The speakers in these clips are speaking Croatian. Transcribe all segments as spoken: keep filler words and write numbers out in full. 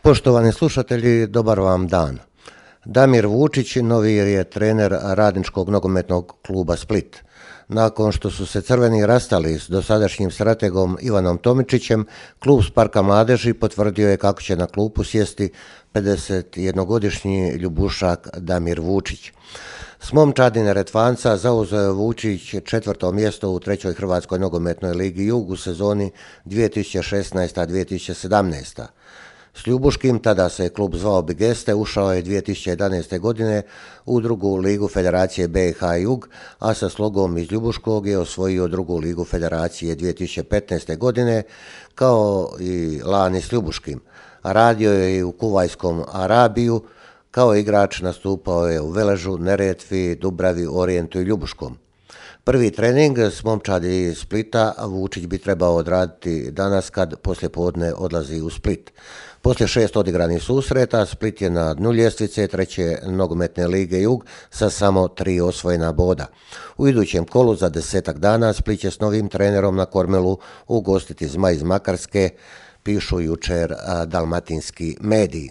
Poštovani slušatelji, dobar vam dan. Damir Vučić novi je trener Radničkog nogometnog kluba Split. Nakon što su se crveni rastali s dosadašnjim strategom Ivanom Tomičićem, klub Sparka mladeži potvrdio je kako će na klupu sjesti pedesetjednogodišnji ljubušak Damir Vučić. S momčadi Neretvanca zauzeo je Vučić četvrto mjesto u trećoj Hrvatskoj nogometnoj ligi Jug u sezoni dvije tisuće šesnaesta dvije tisuće sedamnaesta. S Ljubuškim, tada se klub zvao Bigeste, ušao je dvije tisuće jedanaeste. godine u drugu ligu Federacije B i H Jug, a sa Slogom iz Ljubuškog je osvojio drugu ligu Federacije dvije tisuće petnaeste. godine, kao i lani s Ljubuškim. Radio je i u Kuvajskom Arabiju, kao igrač nastupao je u Veležu, Neretvi, Dubravi, Orijentu i Ljubuškom. Prvi trening s momčadi iz Splita Vučić bi trebao odraditi danas kad poslijepodne odlazi u Split. Poslije šest odigranih susreta, Split je na dnu ljestvice treće nogometne lige Jug sa samo tri osvojena boda. U idućem kolu za desetak dana Split će s novim trenerom na kormelu ugostiti Zmaj iz Makarske, pišu jučer dalmatinski mediji.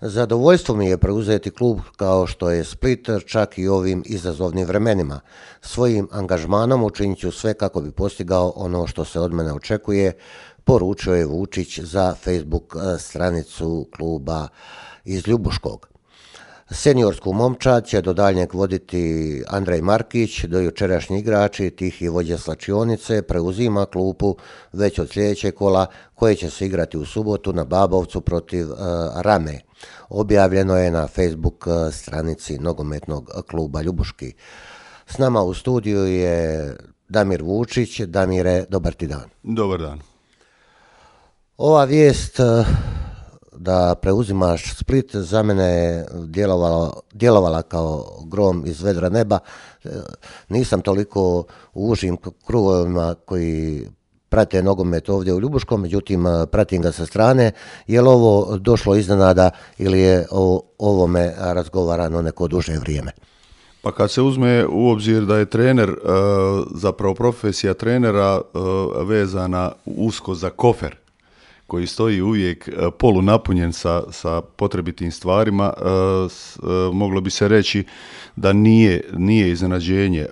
Zadovoljstvo mi je preuzeti klub kao što je Split, čak i ovim izazovnim vremenima. Svojim angažmanom učinit ću sve kako bi postigao ono što se od mene očekuje, poručio je Vučić za Facebook stranicu kluba iz Ljubuškog. Seniorsku momčad će do daljnjeg voditi Andrej Markić, do jučerašnji igrači, tihi vođa slačionice, preuzima klupu već od sljedećeg kola koje će se igrati u subotu na Babovcu protiv uh, Rame. Objavljeno je na Facebook stranici nogometnog kluba Ljubuški. S nama u studiju je Damir Vučić. Damire, dobar ti dan. Dobar dan. Ova vijest da preuzimaš Split za mene je djelovala, djelovala kao grom iz vedra neba. Nisam toliko u užim krugovima koji prate nogomet ovdje u Ljubuškom, međutim pratim ga sa strane. Je li ovo došlo iznenada ili je o ovome razgovarano neko duže vrijeme? Pa kad se uzme u obzir da je trener, zapravo profesija trenera vezana usko za kofer, koji stoji uvijek polunapunjen sa, sa potrebitim stvarima, moglo bi se reći da nije, nije iznenađenje.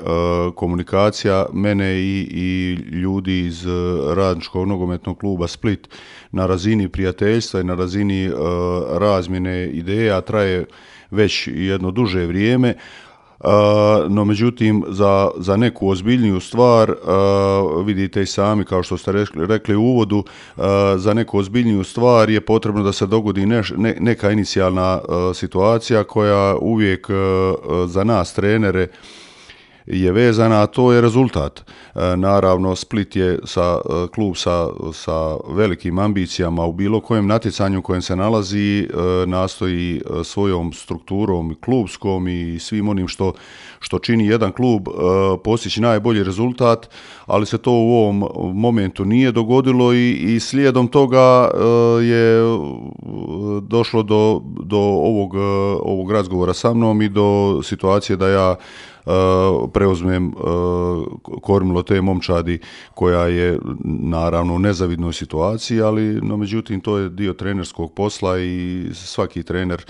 Komunikacija mene i, i ljudi iz Radničkog nogometnog kluba Split na razini prijateljstva i na razini razmjene ideja traje već jedno duže vrijeme. Uh, no međutim za, za neku ozbiljniju stvar, uh, vidite i sami kao što ste rekli, rekli u uvodu, uh, za neku ozbiljniju stvar je potrebno da se dogodi neš, ne, neka inicijalna uh, situacija koja uvijek uh, za nas trenere je vezana, a to je rezultat. E, naravno, Split je sa, klub sa, sa velikim ambicijama u bilo kojem natjecanju u kojem se nalazi, e, nastoji svojom strukturom klubskom i svim onim što, što čini jedan klub e, postići najbolji rezultat, ali se to u ovom momentu nije dogodilo i, i slijedom toga e, je došlo do, do ovog, ovog razgovora sa mnom i do situacije da ja Uh, preuzmem uh, kormilo te momčadi koja je naravno u nezavidnoj situaciji, ali no međutim to je dio trenerskog posla i svaki trener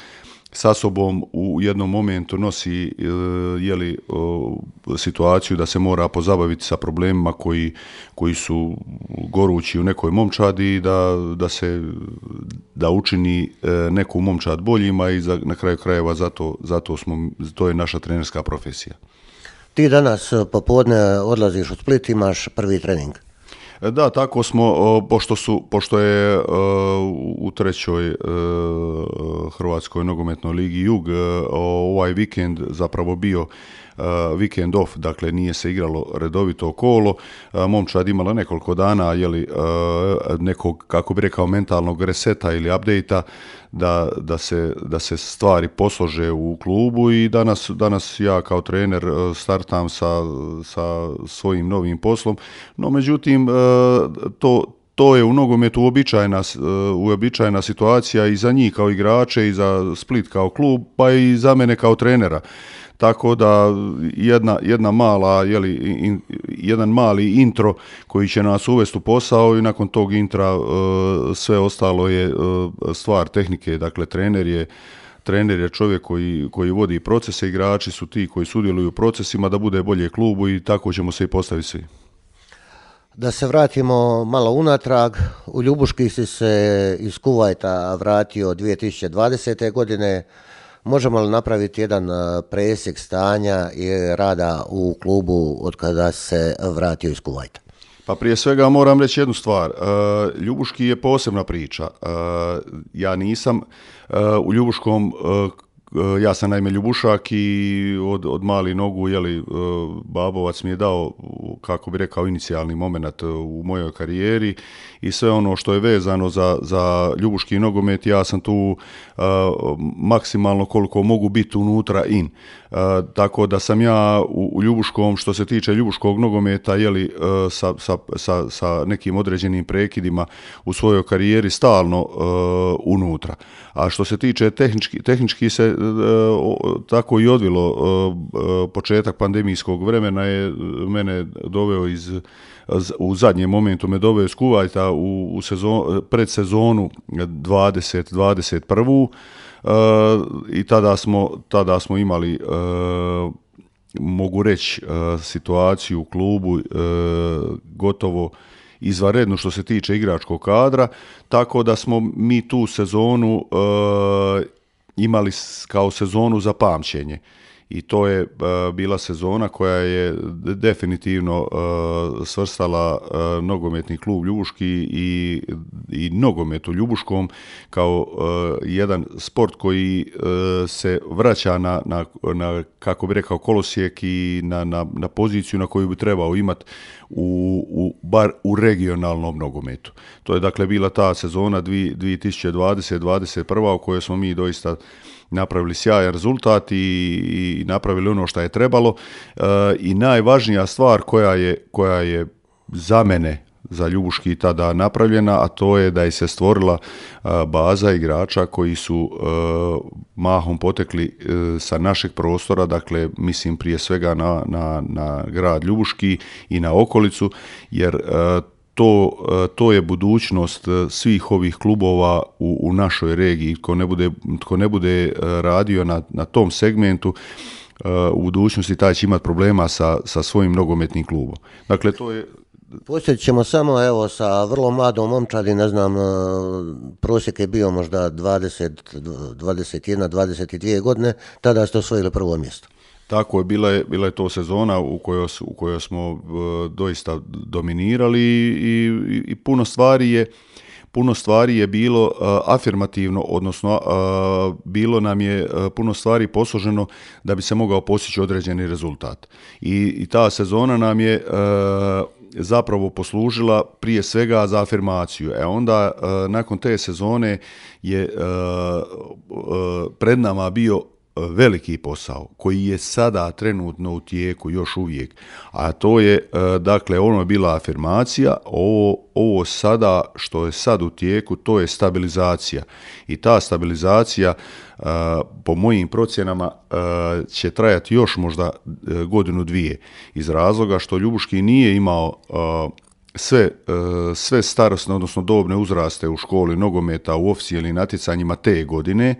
sa sobom u jednom momentu nosi uh, jeli, uh, situaciju da se mora pozabaviti sa problemima koji, koji su gorući u nekoj momčadi i da, da se da učini uh, neku momčad boljima i za, na kraju krajeva zato, zato smo, to je naša trenerska profesija. Ti danas popodne odlaziš u Split, imaš prvi trening. Da, tako smo, pošto, su, pošto je u trećoj Hrvatskoj nogometnoj ligi Jug ovaj vikend zapravo bio vikend off, dakle nije se igralo redovito kolo, momčad imala nekoliko dana jeli, nekog, kako bi rekao, mentalnog reseta ili update-a da, da, se, da se stvari poslože u klubu i danas, danas ja kao trener startam sa, sa svojim novim poslom, no međutim to To je u nogometu uobičajena, uobičajena situacija i za njih kao igrače i za Split kao klub, pa i za mene kao trenera. tako da jedna, jedna mala, jeli, in, jedan mali intro koji će nas uvesti u posao i nakon tog intra uh, sve ostalo je uh, stvar tehnike, dakle trener je Trener je čovjek koji, koji vodi procese, igrači su ti koji sudjeluju u procesima da bude bolje klubu i tako ćemo se i postaviti svi. Da se vratimo malo unatrag, u Ljubuški si se iz Kuvajta vratio dvije tisuće dvadesete. godine. Možemo li napraviti jedan presjek stanja i rada u klubu od kada se vratio iz Kuvajta? Pa prije svega moram reći jednu stvar. Ljubuški je posebna priča. Ja nisam u Ljubuškom, ja sam naime Ljubušak i od, od mali nogu, jeli, Babovac mi je dao, kako bi rekao, inicijalni moment u mojoj karijeri i sve ono što je vezano za, za Ljubuški nogomet, ja sam tu uh, maksimalno koliko mogu biti unutra in. Uh, tako da sam ja u, u Ljubuškom, što se tiče Ljubuškog nogometa, jeli, uh, sa, sa, sa, sa nekim određenim prekidima u svojoj karijeri stalno uh, unutra. A što se tiče tehnički, tehnički se uh, tako i odvilo, uh, početak pandemijskog vremena je mene doveo iz u zadnjem momentu me doveo iz Kuvajta u, u sezon, predsezonu dvadeset dvadeset jedan. Uh, i tada smo, tada smo imali, uh, mogu reći, uh, situaciju u klubu uh, gotovo izvanrednu što se tiče igračkog kadra, tako da smo mi tu sezonu uh, imali kao sezonu za pamćenje. I to je uh, bila sezona koja je definitivno uh, svrstala uh, nogometni klub Ljubuški i, i nogomet u Ljubuškom kao uh, jedan sport koji uh, se vraća na, na, na, kako bi rekao, kolosijek i na, na, na poziciju na koju bi trebao imati u, u, bar u regionalnom nogometu. To je dakle bila ta sezona dvije tisuće dvadesete dvadeset prva u kojoj smo mi doista napravili sjajan rezultat i, i napravili ono što je trebalo. E, i najvažnija stvar koja je, koja je za mene, za Ljubuški tada napravljena, a to je da je se stvorila a, baza igrača koji su a, mahom potekli a, sa našeg prostora, dakle mislim prije svega na, na, na grad Ljubuški i na okolicu, jer a, To, to je budućnost svih ovih klubova u, u našoj regiji. Tko ne bude, tko ne bude radio na, na tom segmentu, u budućnosti taj će imati problema sa, sa svojim nogometnim klubom. Dakle, to je... Posjetit ćemo samo evo sa vrlo mladom momčadi, ne znam, prosjek je bio možda dvadeset, dvadeset jedna, dvadeset dvije godine, tada ste osvojili prvo mjesto. Tako je, bila je, bila je to sezona u kojoj, u kojoj smo uh, doista dominirali i, i, i puno stvari je puno stvari je bilo uh, afirmativno, odnosno uh, bilo nam je uh, puno stvari posloženo da bi se mogao postići određeni rezultat. I, i ta sezona nam je uh, zapravo poslužila prije svega za afirmaciju. E onda uh, nakon te sezone je uh, uh, pred nama bio veliki posao koji je sada trenutno u tijeku još uvijek, a to je, dakle, ono je bila afirmacija, ovo, ovo sada što je sad u tijeku, to je stabilizacija i ta stabilizacija po mojim procjenama će trajati još možda godinu dvije iz razloga što Ljubuški nije imao sve, sve starosne, odnosno dobne uzraste u školi nogometa u oficijelnim natjecanjima te godine,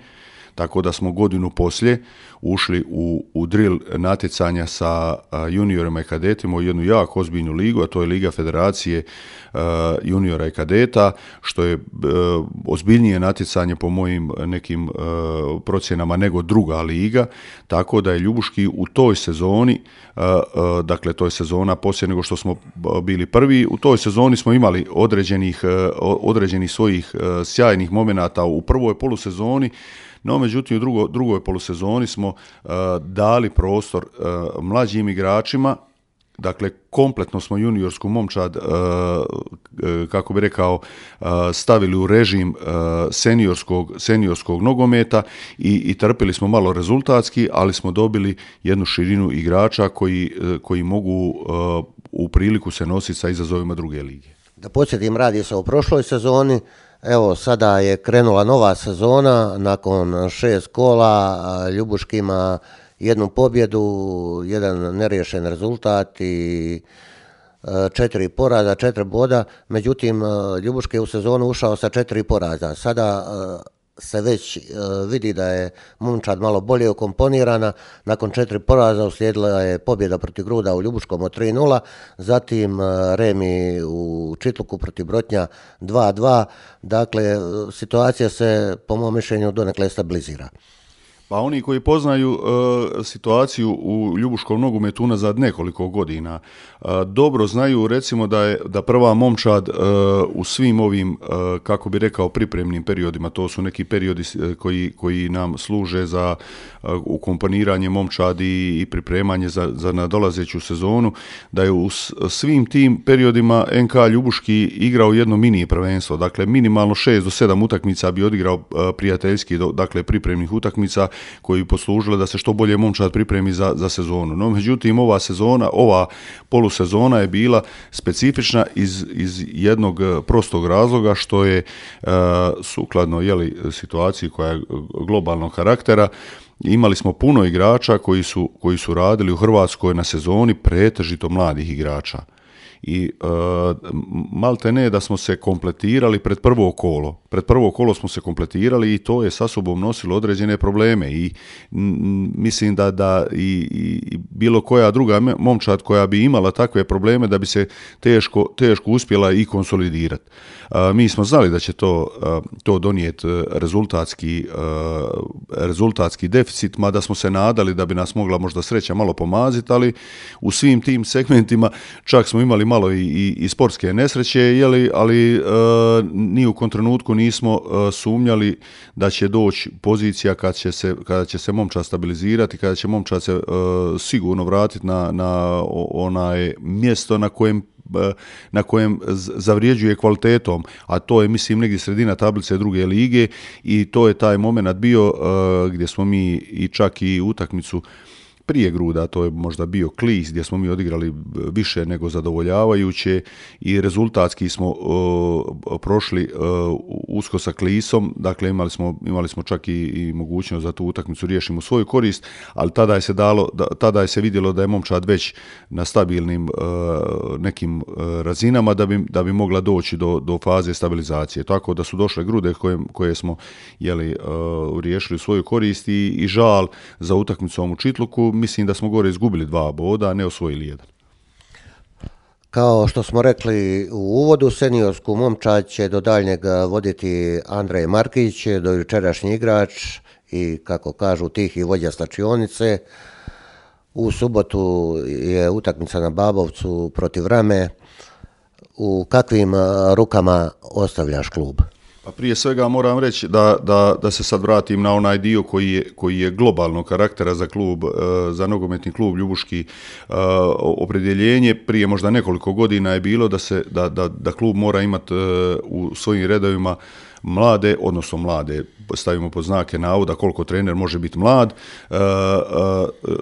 tako da smo godinu poslije ušli u, u drill natjecanja sa a, juniorima i kadetima u jednu jako ozbiljnu ligu, a to je Liga Federacije a, juniora i kadeta, što je a, ozbiljnije natjecanje po mojim nekim a, procjenama nego druga liga, tako da je Ljubuški u toj sezoni, a, a, dakle to je sezona poslije nego što smo bili prvi, u toj sezoni smo imali određenih, a, određenih svojih a, sjajnih momenata u prvoj polusezoni. No, međutim, u drugo, drugoj polusezoni smo uh, dali prostor uh, mlađim igračima, dakle, kompletno smo juniorsku momčad, uh, uh, kako bi rekao, uh, stavili u režim uh, seniorskog, seniorskog nogometa i, i trpili smo malo rezultatski, ali smo dobili jednu širinu igrača koji, uh, koji mogu uh, u priliku se nositi sa izazovima druge lige. Da podsjetim, radi se o prošloj sezoni. Evo, sada je krenula nova sezona, nakon šest kola Ljubuški ima jednu pobjedu, jedan neriješen rezultat i četiri poraza, četiri boda, međutim Ljubuški je u sezonu ušao sa četiri poraza. Sada se već vidi da je momčad malo bolje ukomponirana, nakon četiri poraza uslijedila je pobjeda protiv Gruda u Ljubuškom od tri nula, zatim remi u Čitluku protiv Brotnja dva dva, dakle situacija se po mom mišljenju donekle stabilizira. Pa oni koji poznaju uh, situaciju u ljubuškom nogometu unazad nekoliko godina, uh, dobro znaju recimo da je da prva momčad uh, u svim ovim, uh, kako bi rekao, pripremnim periodima, to su neki periodi koji, koji nam služe za uh, ukomponiranje momčadi i pripremanje za, za nadolazeću sezonu, da je u svim tim periodima N K Ljubuški igrao jedno mini prvenstvo, dakle minimalno šest do sedam utakmica bi odigrao uh, prijateljski, dakle pripremnih utakmica koji poslužile da se što bolje momčad pripremi za, za sezonu. No, međutim, ova sezona, ova polusezona je bila specifična iz, iz jednog prostog razloga što je uh, sukladno jeli, situaciji koja je globalnog karaktera. Imali smo puno igrača koji su, koji su radili u Hrvatskoj na sezoni, pretežito mladih igrača. I uh, malte ne da smo se kompletirali pred prvo kolo. Pred prvo kolo smo se kompletirali i to je sa sobom nosilo određene probleme i m, mislim da, da i, i bilo koja druga momčad koja bi imala takve probleme da bi se teško, teško uspjela i konsolidirati. Uh, mi smo znali da će to, uh, to donijeti rezultatski, uh, rezultatski deficit, mada smo se nadali da bi nas mogla možda sreća malo pomaziti, ali u svim tim segmentima čak smo imali malo i, i, i sportske nesreće, jeli, ali uh, ni u kom trenutku nismo uh, sumnjali da će doći pozicija kad će se, kada će se momčad stabilizirati, kada će momčad se uh, sigurno vratiti na, na onaj mjesto na kojem na kojem zavrijeđuje kvalitetom, a to je mislim negdje sredina tablice druge lige i to je taj moment bio uh, gdje smo mi i čak i utakmicu prije Gruda, to je možda bio Klis, gdje smo mi odigrali više nego zadovoljavajuće i rezultatski smo uh, prošli uh, usko sa Klisom, dakle imali smo, imali smo čak i, i mogućnost da tu utakmicu riješimo u svoju korist, ali tada je se dalo, da, tada je se vidjelo da je momčad već na stabilnim uh, nekim uh, razinama da bi, da bi mogla doći do, do faze stabilizacije. Tako da su došle Grude koje, koje smo jeli, uh, riješili u svoju korist i, i žal za utakmicom u Čitluku. Mislim da smo gore izgubili dva boda, a ne osvojili jedan. Kao što smo rekli u uvodu, seniorsku momčad će do daljnjeg voditi Andrej Markić, do jučerašnji igrač i, kako kažu, tihi vođa slačionice. U subotu je utakmica na Babovcu protiv Rame. U kakvim rukama ostavljaš klub? Pa prije svega moram reći da, da, da se sad vratim na onaj dio koji je, koji je globalnog karaktera za klub, za nogometni klub Ljubuški. Opredjeljenje prije možda nekoliko godina je bilo da, se, da, da, da klub mora imati u svojim redovima mlade, odnosno mlade, stavimo pod znake navoda koliko trener može biti mlad,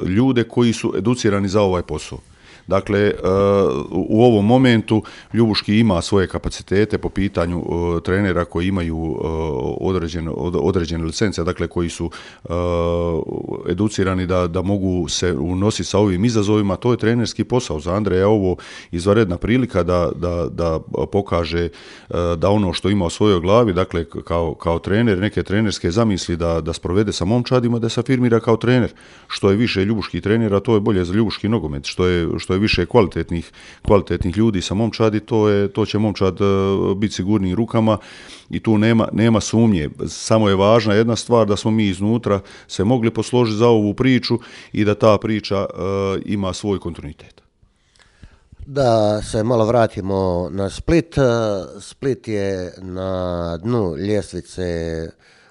ljude koji su educirani za ovaj posao. Dakle, u ovom momentu Ljubuški ima svoje kapacitete po pitanju trenera koji imaju određene, određene licence, dakle koji su educirani da, da mogu se unositi sa ovim izazovima. To je trenerski posao. Za Andreja ovo izvanredna prilika da, da, da pokaže da ono što ima u svojoj glavi, dakle kao, kao trener, neke trenerske zamisli da, da sprovede sa momčadima, da se afirmira kao trener. Što je više Ljubuških trenera, to je bolje za Ljubuški nogomet. Što je, što je više kvalitetnih, kvalitetnih ljudi sa momčadi, to, je, to će momčad uh, biti sigurniji rukama i tu nema, nema sumnje. Samo je važna jedna stvar da smo mi iznutra se mogli posložiti za ovu priču i da ta priča uh, ima svoj kontinuitet. Da se malo vratimo na Split. Split je na dnu ljestvice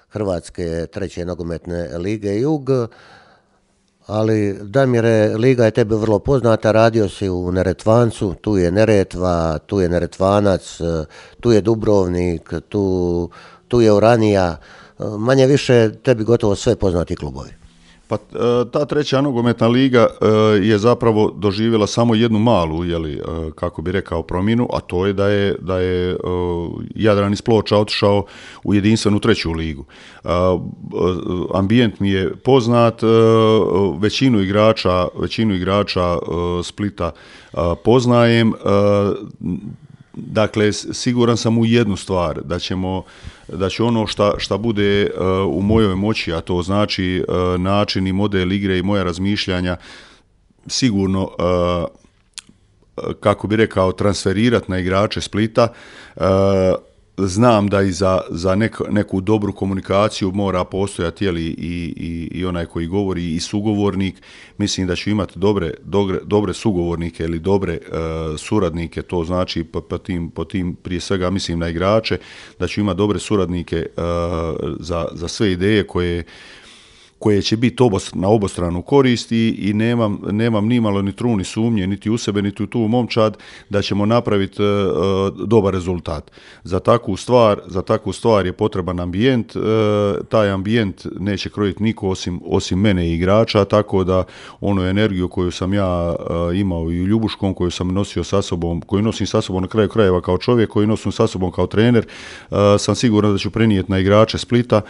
Hrvatske treće nogometne lige Jug. Ali, Damire, liga je tebi vrlo poznata, radio si u Neretvancu, tu je Neretva, tu je Neretvanac, tu je Dubrovnik, tu, tu je Uranija, manje više tebi gotovo sve poznati klubovi. Pa ta treća nogometna liga je zapravo doživjela samo jednu malu, jeli, kako bi rekao, promjenu, a to je da je, da je Jadran iz Ploča otišao u jedinstvenu treću ligu. Ambijent mi je poznat, većinu igrača, većinu igrača Splita poznajem. Dakle, siguran sam u jednu stvar, da ćemo, da će ono šta, šta bude uh, u mojoj moći, a to znači uh, način i model igre i moja razmišljanja, sigurno, uh, kako bi rekao, transferirati na igrače Splita. Uh, Znam da i za, za nek, neku dobru komunikaciju mora postojati jeli, i, i, i onaj koji govori i sugovornik. Mislim da ću imati dobre, dobre, dobre sugovornike ili dobre uh, suradnike, to znači po, po, tim, po tim prije svega mislim na igrače, da ću imati dobre suradnike uh, za, za sve ideje koje koje će biti na obostranu korist i, i nemam, nemam ni malo ni truni sumnje, niti u sebe, niti u tu momčad, da ćemo napraviti uh, dobar rezultat. Za takvu stvar, za takvu stvar je potreban ambijent, uh, taj ambijent neće krojiti niko osim, osim mene i igrača, tako da onu energiju koju sam ja uh, imao i u Ljubuškom, koju sam nosio sa sobom, koju nosim sa sobom na kraju krajeva kao čovjek, koju nosim sa sobom kao trener, uh, sam siguran da ću prenijeti na igrače Splita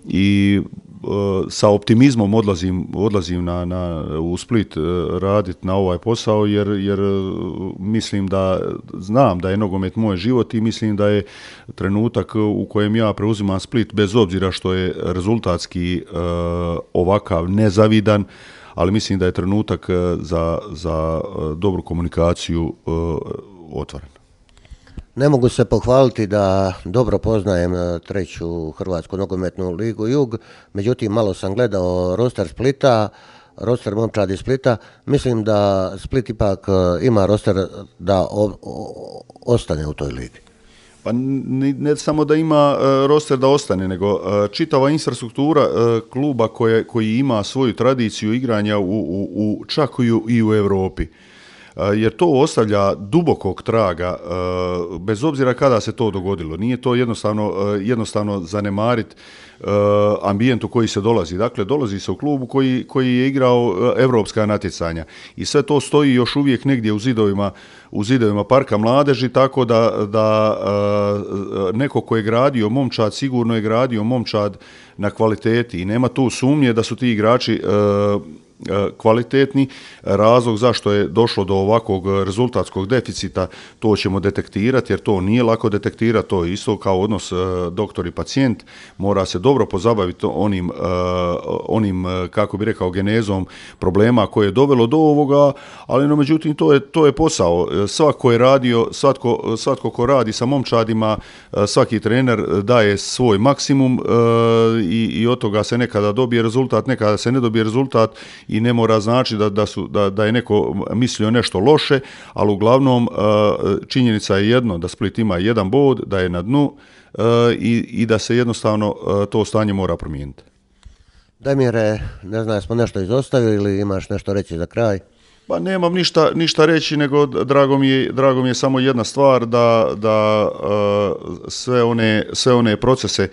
i sa optimizmom odlazim, odlazim na, na, u Split raditi na ovaj posao jer, jer mislim da znam da je nogomet moj život i mislim da je trenutak u kojem ja preuzimam Split, bez obzira što je rezultatski uh, ovakav nezavidan, ali mislim da je trenutak za, za dobru komunikaciju uh, otvoren. Ne mogu se pohvaliti da dobro poznajem treću Hrvatsku nogometnu ligu Jug, međutim malo sam gledao roster Splita, roster momčadi Splita, mislim da Split ipak ima roster da o, o, ostane u toj ligi. Pa ne, ne samo da ima uh, roster da ostane, nego uh, čitava infrastruktura uh, kluba koje, koji ima svoju tradiciju igranja u, u, u čak i u, i u Europi. Jer to ostavlja dubokog traga, bez obzira kada se to dogodilo. Nije to jednostavno, jednostavno zanemariti ambijent u koji se dolazi. Dakle, dolazi se u klubu koji, koji je igrao evropska natjecanja i sve to stoji još uvijek negdje u zidovima, u zidovima Parka mladeži, tako da, da neko ko je gradio momčad, sigurno je gradio momčad na kvaliteti i nema tu sumnje da su ti igrači kvalitetni. Razlog zašto je došlo do ovakvog rezultatskog deficita, to ćemo detektirati, jer to nije lako detektirati, to je isto kao odnos doktor i pacijent, mora se dobro pozabaviti onim, onim kako bi rekao, genezom problema koje je dovelo do ovoga, ali no međutim to je, to je posao. Svako je radio, svatko, svatko ko radi sa momčadima, svaki trener daje svoj maksimum i, i od toga se nekada dobije rezultat, nekada se ne dobije rezultat i ne mora znači da, da, su, da, da je neko mislio nešto loše, ali uglavnom činjenica je jedno, da Split ima jedan bod, da je na dnu i, i da se jednostavno to stanje mora promijeniti. Damire, ne znam, smo nešto izostavili ili imaš nešto reći za kraj? Pa nemam ništa, ništa reći, nego drago mi je, drago mi je samo jedna stvar, da, da sve one, sve one procese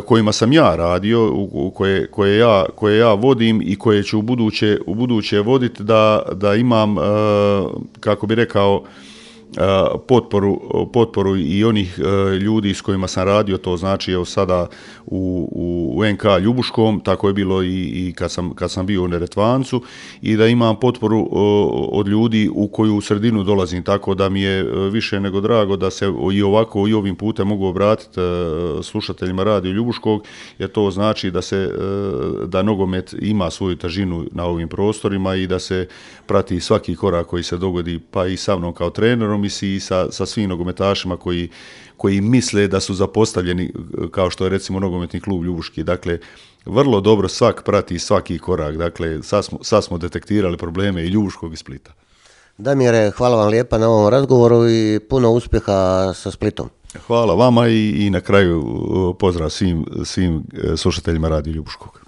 kojima sam ja radio, u koje, koje, ja, koje ja vodim i koje ću u buduće, u buduće voditi, da, da imam, kako bi rekao, potporu, potporu i onih ljudi s kojima sam radio, to znači evo sada u, u en ka Ljubuškom, tako je bilo i, i kad, sam, kad sam bio u Neretvancu, i da imam potporu od ljudi u koju u sredinu dolazim, tako da mi je više nego drago da se i ovako i ovim putem mogu obratiti slušateljima radio Ljubuškog, jer to znači da se da nogomet ima svoju težinu na ovim prostorima i da se prati svaki korak koji se dogodi, pa i sa mnom kao trenerom i sa, sa svim nogometašima koji, koji misle da su zapostavljeni, kao što je recimo nogometni klub Ljubuški. Dakle, vrlo dobro svak prati svaki korak. Dakle, sad smo, sad smo detektirali probleme i Ljubuškog i Splita. Damire, hvala vam lijepa na ovom razgovoru i puno uspjeha sa Splitom. Hvala vama i, i na kraju pozdrav svim, svim slušateljima radio Ljubuškog.